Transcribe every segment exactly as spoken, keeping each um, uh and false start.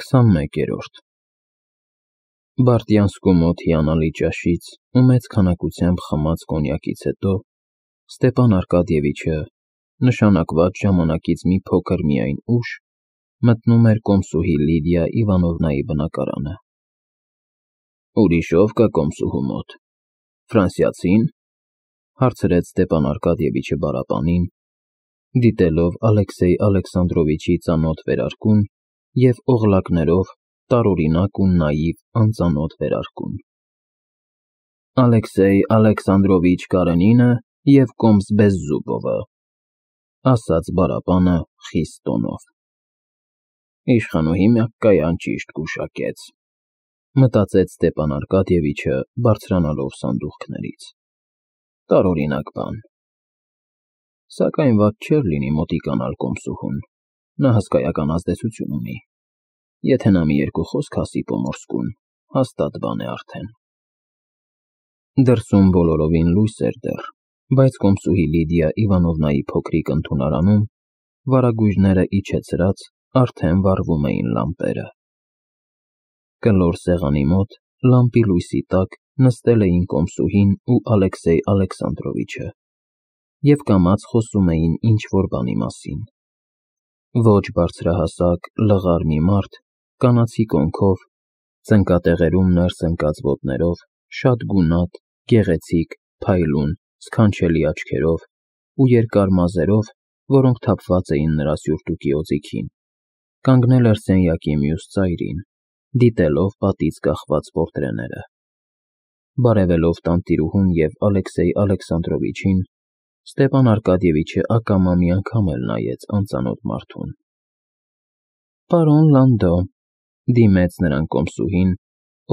քսանմեկերորդ Բարտյանսկու մոտ հիանալի ճաշից ու մեծ քանակությամբ խմած կոնյակից հետո Ստեփան Արկադիևիչը, նշանակված ժամանակից մի փոքր միայն ուշ, մտնում էր կոմսուհի Լիդիա Իվանովնայի բնակարանը։ «Ուրիշ ո՞վ կա կոմսուհու մոտ, ֆրանսիացի՞ն», հարցրեց Ստեփան Արկադիևիչը բառապանին, դիտելով Ալեքսեյ Ալեքսանդրովիչի ծանոթ վերարկուն և օղլակներով տարօրինակ ու նաիվ անծանոթ վերարկուն։ «Ալեքսեյ Ալեքսանդրովիչ Կարենինը և կոմս Բեզզուբովը», ասաց բառապանը խիստ տոնով։ «Իշխանուհի միակկայան ճիշտ գուշակեց», մտածեց Ստեփան Արկադիևիչը, բարձրանալով սանդուղքներից։ Տարօրինակ բան։ Սակայն վատ չէր լինի մոտիկանալ կոմսուհուն, նա հսկայական ազդեցություն ունի։ Եթե նա մի երկու խոսք ասի Պոմորսկուն, հաստատ բան է արդեն։ Դրսում բոլորովին լույս էր դեռ, բայց կոմսուհի Լիդիա Իվանովնայի փոքրիկ ընդունարանում, վարագույրները իջեցրած, արդեն վառվում էին լամպերը։ Կլոր սեղանի մոտ, լամպի լույսի տակ, նստել էին կոմսուհին ու Ալեքսեյ Ալեքսանդրովիչը և կամաց խոսում էին ինչ֊որ բանի մասին։ Ոչ բարձրահասակ, լղար մի մարդ, կանացի կոնքով, ծնկատեղերում ներս ընկած ոտներով, շատ գունատ, գեղեցիկ, փայլուն, սքանչելի աչքերով ու երկար մազերով, որոնք թափված էին նրա սյուրտուկի օձիքին, կանգնել էր սենյակի մյուս ծայրին, դիտելով պատից կախված պորտրեները։ Բարևելով տանտիրուհուն և Ալեքսեյ Ալեքսանդրովիչին, Ստեփան Արկադիևիչը ակամա մի անգամ էլ նայեց անծանոթ մարդուն։ «Պարոն Լանդո», դիմեց նրան կոմսուհին,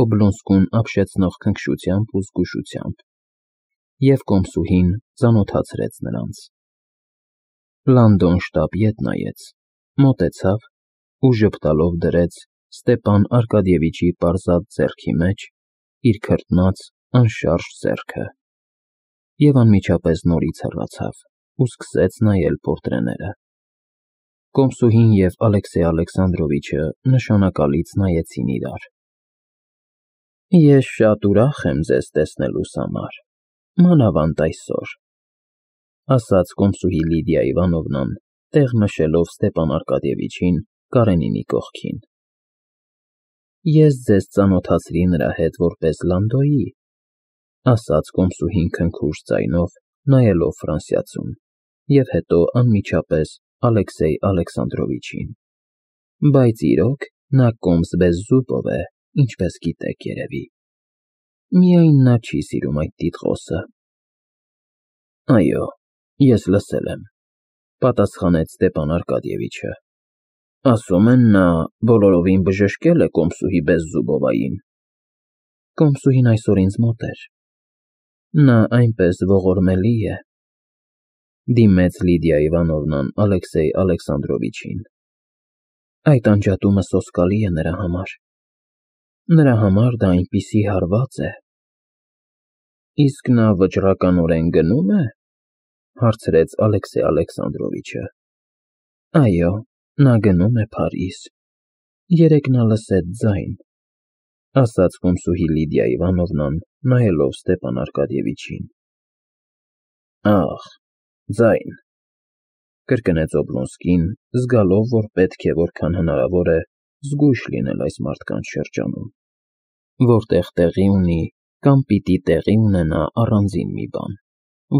Օբլոնսկուն ապշեցնող քնքշությամբ ու զգուշությամբ, և կոմսուհին ծանոթացրեց նրանց։ Լանդոն շտապ ետ նայեց, մոտեցավ ու ժպտալով դրեց Ստեփան Արկադիևիչի պարզած ձեռքի մեջ իր քրտնած, անշարժ ձեռքը և անմիջապես նորից հեռացավ ու սկսեց նայել պորտրեները։ Կոմսուհին և Ալեքսեյ Ալեքսանդրովիչը նշանակալից նայեցին իրար։ «Ես շատ ուրախ եմ ձեզ տեսնելուս համար, մանավանդ այսօր», ասաց կոմսուհի Լիդիա Իվանովնան, տեղ մշելով Ստեփան Արկադիևիչին Կարենինի կողքին։ «Ես ձեզ ծանոթացրի նրա հետ որպես Լանդոյի», ասաց կոմսուհին քնքուշ ձայնով, նայելով ֆրանսիացուն, և հետո անմիջապես Ալեքսեյ Ալեքսանդրովիչին։ «Բայց իրոք նա կոմս Բեզզուբով է, ինչպես գիտեք երևի։ Միայն նա չի սիրում այդ տիտղոսը»։ «Այո, ես լսել եմ», պատասխանեց Ստեփան Արկադիևիչը։ «Ասում են, նա բոլորովին բժշկել է կոմսուհի Բեզզուբովային»։ «Կոմսուհին այսօր ինձ մոտ էր։ Նա այնպես ողորմելի է», դիմեց Լիդիա Իվանովնան Ալեքսեյ Ալեքսանդրովիչին։ «Այդ անջատումը սոսկալի է նրա համար։ Նրա համար դա այնպիսի հարված է»։ «Իսկ նա վճռականորեն գնո՞ւմ է», հարցրեց Ալեքսեյ Ալեքսանդրովիչը։ «Այո, նա գնում է Փարիզ։ Երեկ նա լսեց ձայն», ասաց կոմսուհի Լիդիա Իվանովնան, նայելով Ստեփան Արկադիևիչին։ «Ախ, ձայն», կրկնեց Օբլոնսկին, զգալով, որ պետք է որքան հնարավոր է զգույշ լինել այս մարդկանց շրջանում, որտեղ տեղի ունի կամ պիտի տեղի ունենա առանձին մի բան,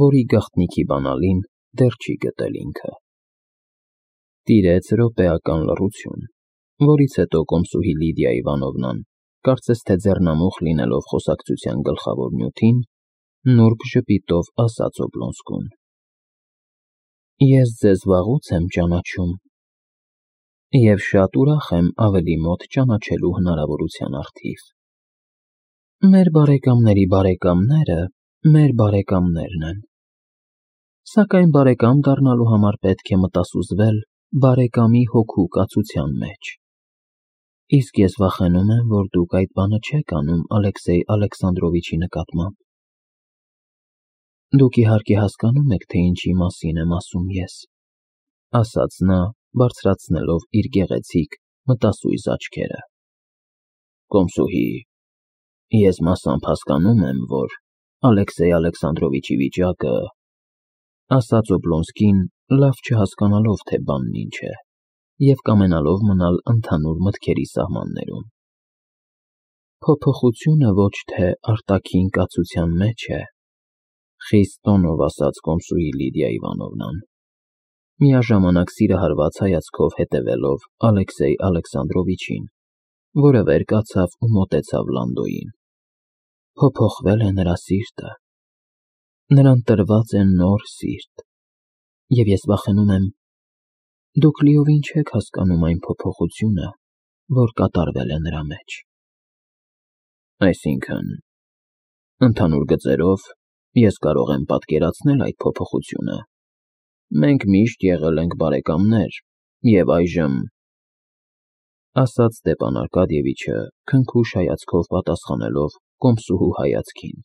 որի գաղտնիքի բանալին դեռ չի գտել ինքը։ Տիրեց րոպեական լռություն, որից հետո կոմսուհի Լիդիա Իվանովնան, կարծես թե ձեռնամուխ լինելով խոսակցության գլխավոր նյութին, նուրբ ժպիտով ասաց Օբլոնսկուն. «Ես ձեզ վաղուց եմ ճանաչում և շատ ուրախ եմ ավելի մոտ ճանաչելու հնարավորության առթիվ։ Մեր բարեկամների բարեկամները մեր բարեկամներն են, սակայն բարեկամ դառնալու համար պետք է մտասուզվել բարեկամի հոգու կացության մեջ։ Իսկ ես վախենում եմ, որ դուք այդ բանը չեք անում Ալեքսեյ Ալեքսանդրովիչի նկատմամբ։ Դուք իհարկե հասկանում եք, թե ինչի մասին եմ ասում ես», ասաց նա, բարձրացնելով իր գեղեցիկ, մտասույզ աչքերը։ Կոմսուհի, ես մասամբ հասկանում եմ, որ Ալեքսեյ Ալեքսանդրովիչի վիճակը, ասաց Օբլոնսկին, լավ չհասկանալով, թե բանն ինչ է, և կամենալով մնալ ընդհանուր մտքերի սահմաններում։ Փոփոխությունը ոչ թե արտաքին կացության մեջ է, խիստ տոնով ասաց կոմսուհի Լիդիա Իվանովնան, միաժամանակ սիրահարված հայացքով հետևելով Ալեքսեյ Ալեքսանդրովիչին, որը վեր կացավ ու մոտեցավ Լանդոյին։ Փոփոխվել է նրա սիրտը, նրան տրված է նոր սիրտ, և ես վախենում եմ, դուք լիովին չեք հասկանում այն փոփոխությունը, որ կատարվել է նրա մեջ։ Այսինքն, ընդհանուր գծերով, ես կարող եմ պատկերացնել այդ փոփոխությունը։ Մենք միշտ եղել ենք բարեկամներ, և այժմ, ասաց Ստեպան Արկադիևիչը, քնքուշ հայացքով պատասխանելով կոմսուհու հայացքին,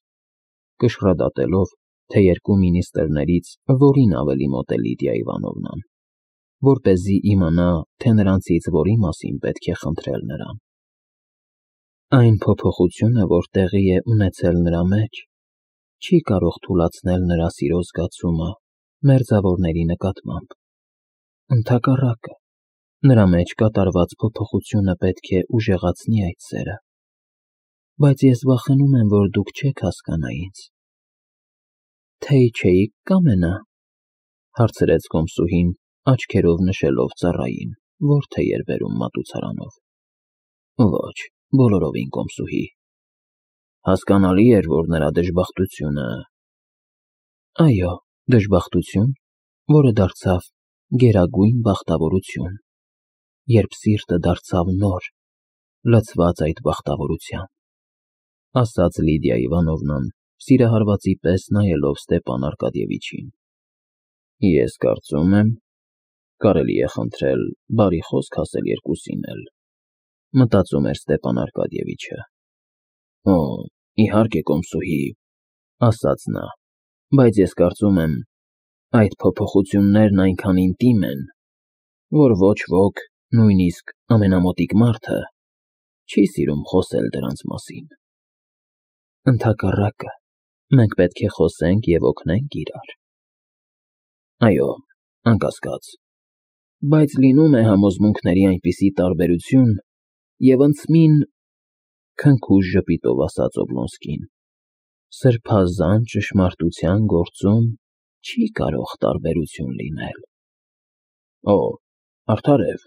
կշռադատելով, թե երկու մինիստրներից որին ավելի մոտ է Լիդիա Իվանովնան, որպեսզի իմանա, թե նրանցից որի մասին պետք է խնդրել նրան։ Այն փոփոխությունը, որ տեղի է ունեցել նրա մեջ, չի կարող թուլացնել նրա սիրո զգացումը մերձավորների նկատմամբ։ Ընդհակառակը, նրա մեջ կատարված փոփոխությունը պետք է ուժեղացնի այդ սերը։ Բայց ես վախենում եմ, որ դուք չեք հասկանա ինձ։ Թե չէիք կամենա, հարցրեց կոմսուհին, աչքերով նշելով ծառային, որ թե էր բերում մատուցարանով։ Ոչ, բոլորովին կոմսուհի։ Հասկանալի էր, որ նրա դժբախտությունը… Այո, դժբախտություն, որը դարձավ գերագույն բախտավորություն, երբ սիրտը դարձավ նոր, լցված այդ բախտավորությամբ, ասաց Լիդիա Իվանովնան, սիրահարվածի պես նայելով Ստեպան Արկադիևիչին։ Ես կարծում եմ, կարելի է խնդրել բարի խոսք ասել երկուսին էլ, մտածում էր Ստեպան Արկադիևիչը։ Օ, իհարկե, կոմսուհի, ասաց նա, բայց ես կարծում եմ, այդ փոփոխություններն այնքան ինտիմ են, որ ոչ ոք, նույնիսկ ամենամոտիկ մարդը, չի սիրում խոսել դրանց մասին։ Ընդհակառակը, մենք պետք է խոսենք և օգնենք իրար։ Այո, անկասկած, բայց լինում է համոզմունքների այնպիսի տարբերություն, և ընծմին, քնքուշ ժպիտով ասաց Օբլոնսկին, սրբազան ճշմարտության գործում չի կարող տարբերություն լինել։ Օ, արդարև,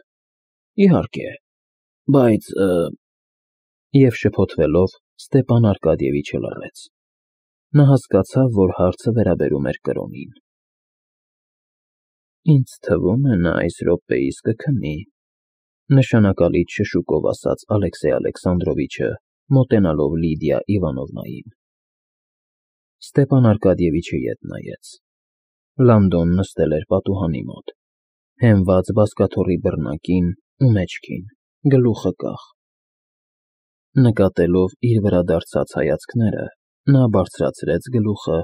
իհարկե, բայց… Եվ շփոթվելով Ստեպան Արկադիևիչը լռեց։ Նա հասկացավ, որ հարցը վերաբերում էր կրոնին։ Ինձ թվում է, նա այս րոպեիս կքնի, նշանակալից շշուկով ասաց Ալեքսեյ Ալեքսանդրովիչը, մոտենալով Լիդիա Իվանովնային։ Ստեպան Արկադիևիչը ետ նայեց։ Լանդոն նստել էր պատուհանի մոտ, հենված բազկաթոռի բռնակին ու մեջքին, գլուխը կախ։ Նկատելով իր վրա դարձած հայացքները, նա բարձրացրեց գլուխը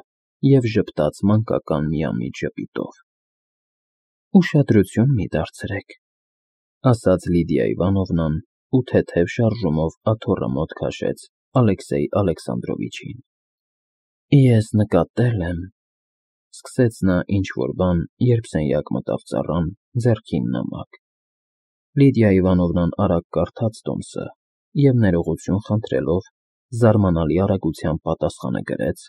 և ժպտաց մանկական միամիտ ժպիտով։ Ուշադրություն մի դարձրեք, ասաց Լիդիա Իվանովնան ու թեթև շարժումով աթոռը մոտ քաշեց Ալեքսեյ Ալեքսանդրովիչին։ Ես նկատել եմ, սկսեց նա ինչ-որ բան, երբ սենյակ մտավ ծառան, ձեռքին նամակ։ Լիդիա Իվանովնան արագ կարդաց տոմսը և ներողություն խնդրելով, զարմանալի արագությամբ պատասխանը գրեց,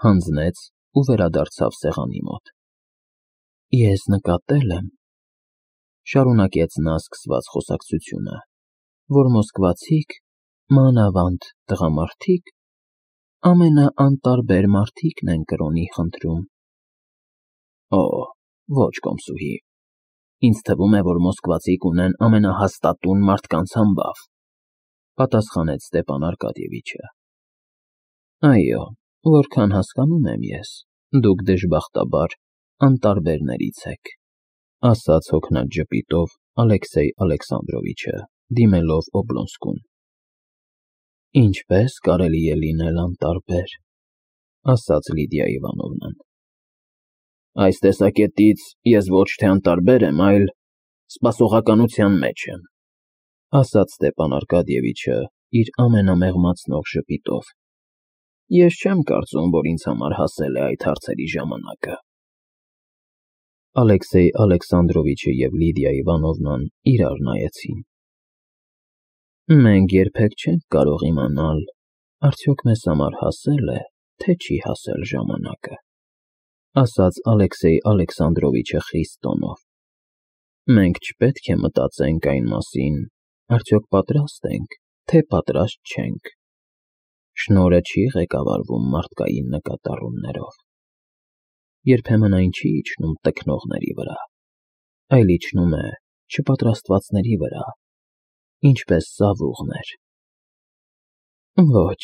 հանձնեց ու վերադարձավ սեղանի մոտ։ Ես նկատել եմ, շարունակեց նա սկսված խոսակցությունը, որ մոսկվացիք, մանավանդ տղամարդիկ, ամենաանտարբեր մարդիկն են կրոնի խնդրում։ Օ, ոչ, կոմսուհի, ինձ թվում է, որ մոսկվացիք ունեն ամենահաստատուն մարդկանց համբավ, պատասխանեց Ստեպան Արկադիևիչը։ Այո, որքան հասկանում եմ ես, դուք դժբախտաբար անտարբերներից եք, ասաց հոգնած ժպիտով Ալեքսեյ Ալեքսանդրովիչը, դիմելով Օբլոնսկուն։ Ինչպես կարելի է լինել անտարբեր, ասաց Լիդիա Իվանովնան։ Այս տեսակետից ես ոչ թե անտարբեր եմ, այլ սպասողականության մեջ եմ, ասաց Ստեփան Արկադիևիչը իր ամենամեղմացնող ժպիտով։ Ես չեմ կարծում, որ ինձ համար հասել է այդ հարցերի ժամանակը։ Ալեքսեյ Ալեքսանդրովիչը և Լիդիա Իվանովնան իրար նայեցին։ Մենք երբեք չենք կարող իմանալ, արդյոք մեզ համար հասել է, թե չի հասել ժամանակը, ասաց Ալեքսեյ Ալեքսանդրովիչը խիստ տոնով։ Մենք չպետք է մտածենք այն մասին, արդյոք պատրաստ ենք, թե պատրաստ չենք։ Շնորհը չի ղեկավարվում մարդկային նկատառումներով։ Երբեմն այն չի իջնում տքնողների վրա, այլ իջնում է չպատրաստվածների վրա, ինչպես ծավուղներ։ Ոչ,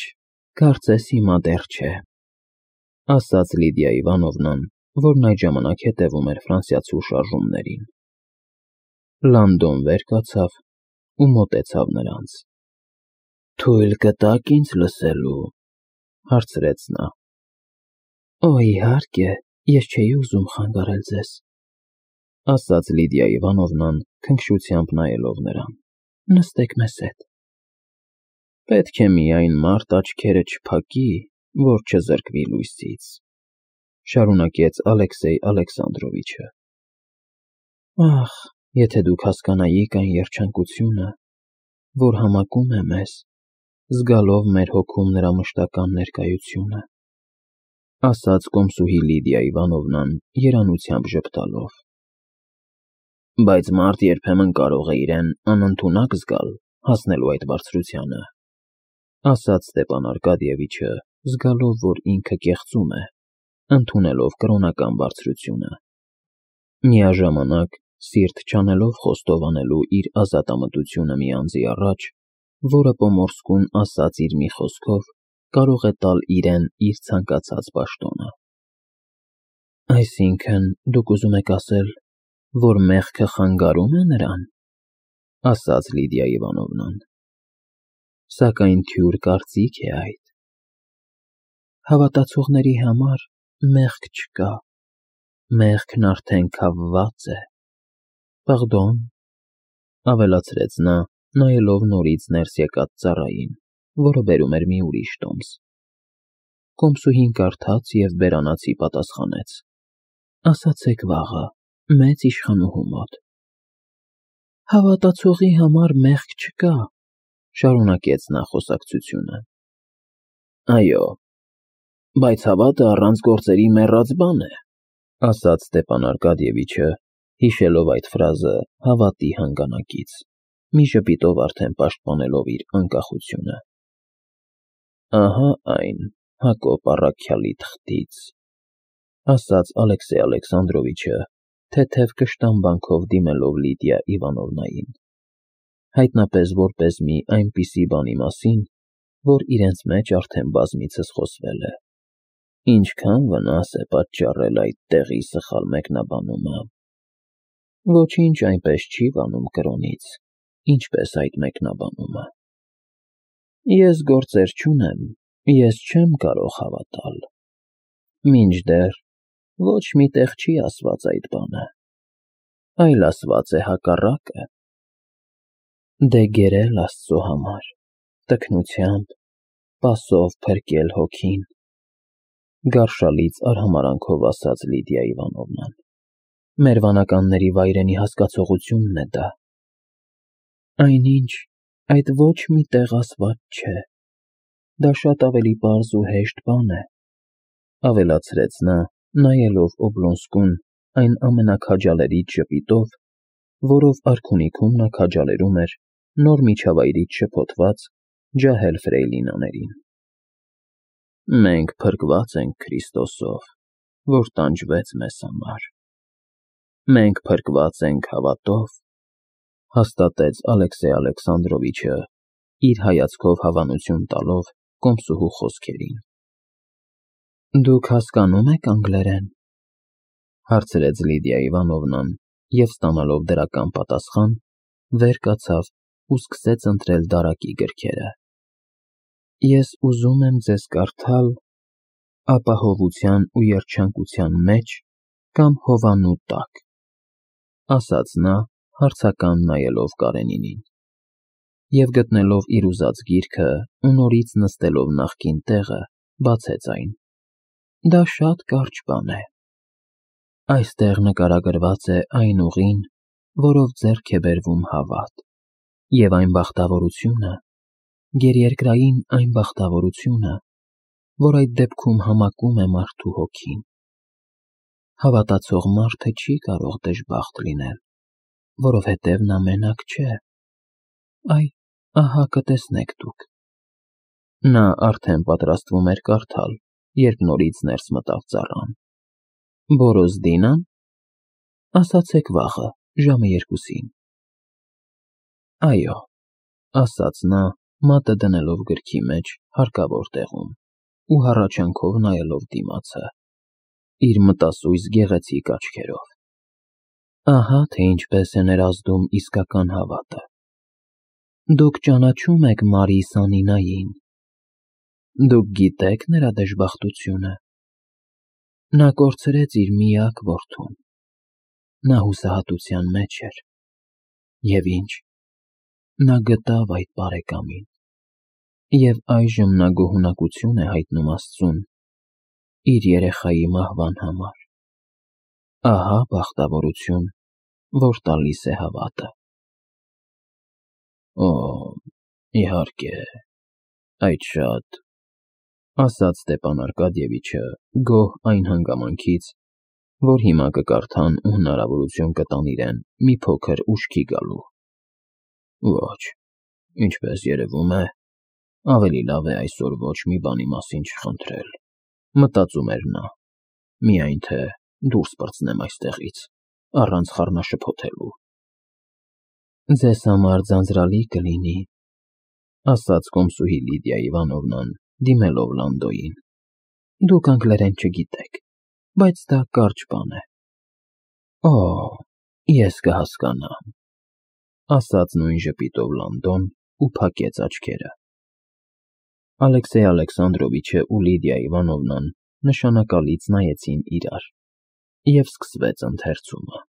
կարծես հիմա դեռ չէ, ասաց Լիդիա Իվանովնան, որն այդ ժամանակ հետևում էր ֆրանսիացու շարժումներին։ Լանդոն վեր կացավ ու մոտեցավ նրանց։ Թույլ կտա՞ք ինձ լսելու, հարցրեց նա։ Օ, իհարկե, ես չէի ուզում խանգարել ձեզ, ասաց Լիդիա Իվանովնան, քնքշությամբ նայելով նրան։ Նստեք մեզ հետ։ Պետք է միայն մարդ աչքերը չփակի, որ չզրկվի լույսից, շարունակեց Ալեքսեյ Ալեքսանդրովիչը։ Ախ, եթե դուք հասկանայիք այն երջանկությունը, որ համակում է մեզ, զգալով մեր հոգում նրա մշտական ներկայությունը, ասաց կոմսուհի Լիդիա Իվանովնան երանությամբ ժպտալով։ Բայց մարդ երբեմն կարող է իրեն անընդունակ զգալ հասնելու այդ բարձրությանը, ասաց Ստեփան Արկադիևիչը, զգալով, որ ինքը կեղծում է, ընդունելով կրոնական բարձրությունը։ Միաժամանակ սիրտ չանելով խոստովանելու իր ազատամտությունը մի անձի առաջ, որը պոմորսկուն ասած իր մի խոսքով կարող է տալ իրեն իր ցանկացած պաշտոնը։ Այսինքն, դուք ուզում եք ասել, որ մեղքը խանգարում է նրան, ասաց Լիդիա Իվանովնան։ Սակայն թյուր կարծիք է այդ։ Հավատացողների համար մեղք չկա, մեղքն արդեն քավված է։ Պարդոն, ավելացրեց նա, նայելով նորից ներս եկած ծառային, որը բերում էր մի ուրիշ տոմս։ Կոմսուհին կարդաց և բերանացի պատասխանեց. Ասացեք վաղը, մեծ իշխանուհու մոտ։ Հավատացողի համար մեղք չկա, շարունակեց նա խոսակցությունը։ Այո, բայց հավատը առանց գործերի մեռած բան է, ասաց Ստեփան Արկադիևիչը, հիշելով այդ ֆրազը հավատի հանգանակից, մի ժպիտով արդեն պաշտպանելով իր անկախությունը։ Ահա այն, Հակոբ առաքյալի թղթից, ասաց Ալեքսեյ Ալեքսանդրովիչը, թեթև կշտամբանքով դիմելով Լիդիա Իվանովնային, հայտնապես որպես մի այնպիսի բանի մասին, որ իրենց մեջ արդեն բազմիցս խոսվել է։ Ինչքան վնաս է պատճառել այդ տեղի սխալ մեկնաբանումը։ Ոչինչ այնպես չի վանում կրոնից, ինչպես այդ մեկնաբանումը։ Ես գործեր չունեմ, ես չեմ կարող հավատալ։ Մինչդեռ ոչ մի տեղ չի ասված այդ բանը, այլ ասված է հակառակը։ Դե գերել Աստծո համար, տքնությամբ, պասով փրկել հոգին, գարշալից արհամարանքով ասաց Լիդիա Իվանովնան։ Մեր վանականների վայրենի հասկացողությունն է դա։ Այնինչ, այդ ոչ մի տեղ ասված չէ։ Դա շատ ավելի պարզ ու հեշտ բան է, ավելացրեց նա, նայելով Օբլոնսկուն այն ամենաքաջալերիչ ժպիտով, որով արքունիքում նա քաջալերում էր նոր միջավայրից շփոթված ջահել ֆրեյլինաներին։ Մենք փրկված ենք Քրիստոսով, որ տանջվեց մեզ համար։ Մենք փրկված ենք հավատով, հաստատեց Ալեքսեյ Ալեքսանդրովիչը, իր հայացքով հավանություն տալով կոմսուհու խոսքերին։ Դուք հասկանո՞ւմ եք անգլերեն, հարցրեց Լիդիա Իվանովնան և ստանալով դրական պատասխան, վեր կացավ ու սկսեց ընտրել դարակի գրքերը։ Ես ուզում եմ ձեզ կարդալ «Ապահովության ու երջանկության մեջ» կամ «Հովանու տակ», ասաց նա, հարցական նայելով Կարենինին։ և գտնելով իր ուզած գիրքը ու նորից նստելով նախկին տեղը, բացեց այն։ Դա շատ կարճ բան է։ Այստեղ նկարագրված է այն ուղին, որով ձեռք է բերվում հավատ, և այն բախտավորությունը, գերերկրային այն բախտավորությունը, որ այդ դեպքում համակում է մարդու հոգին։ Հավատացող մարդը չի կարող դժբախտ լինել, որովհետև նա մենակ չէ։ Այ, ահա կտեսնեք դուք։ Նա արդեն պատրաստվում էր կարդալ, երբ նորից ներս մտավ ծառան։ Բորոզդի՞նան։ Ասացեք վաղը, ժամը երկուսին։ Այո, ասաց նա, մատը դնելով գրքի մեջ հարկավոր տեղում ու հառաչանքով նայելով դիմացը, իր մտասույզ գեղեցիկ աչքերով։ Ահա թե ինչպես է ներազդում իսկական հավատը։ Դուք ճանաչո՞ւմ եք Մարի Սանինային։ Դուք գիտե՞ք նրա դժբախտությունը։ Նա կորցրեց իր միակ որդուն։ Նա հուսահատության մեջ էր։ Եվ ինչ։ Նա գտավ այդ բարեկամին։ Եվ այժմ նա գոհունակություն է հայտնում Աստծուն իր երեխայի մահվան համար։ Ահա բախտավորություն, որ տալիս է հավատը։ Օ, իհարկե, այդ շատ, ասաց Ստեփան Արկադիևիչը, գոհ այն հանգամանքից, որ հիմա կկարդան ու հնարավորություն կտան իրեն մի փոքր ուշքի գալու։ Ոչ, ինչպես երևում է, ավելի լավ է այսօր ոչ մի բանի մասին չխնդրել, մտածում էր նա, միայն թե դուրս պրծնեմ այստեղից, առանց խառնաշփոթելու։ Ձեզ համար ձանձրալի կլինի, ասաց կոմսուհի Լիդիա Իվանովնան, դիմելով Լանդոյին։ Դուք անգլերեն չգիտեք, բայց դա կարճ բան է։ Օ, ես կհասկանամ, ասաց նույն ժպիտով Լանդոն ու փակեց աչքերը։ Ալեքսեյ Ալեքսանդրովիչը ու Լիդիա Իվանովնան նշանակալից նայեցին իրար, և սկսվեց ընթերցումը։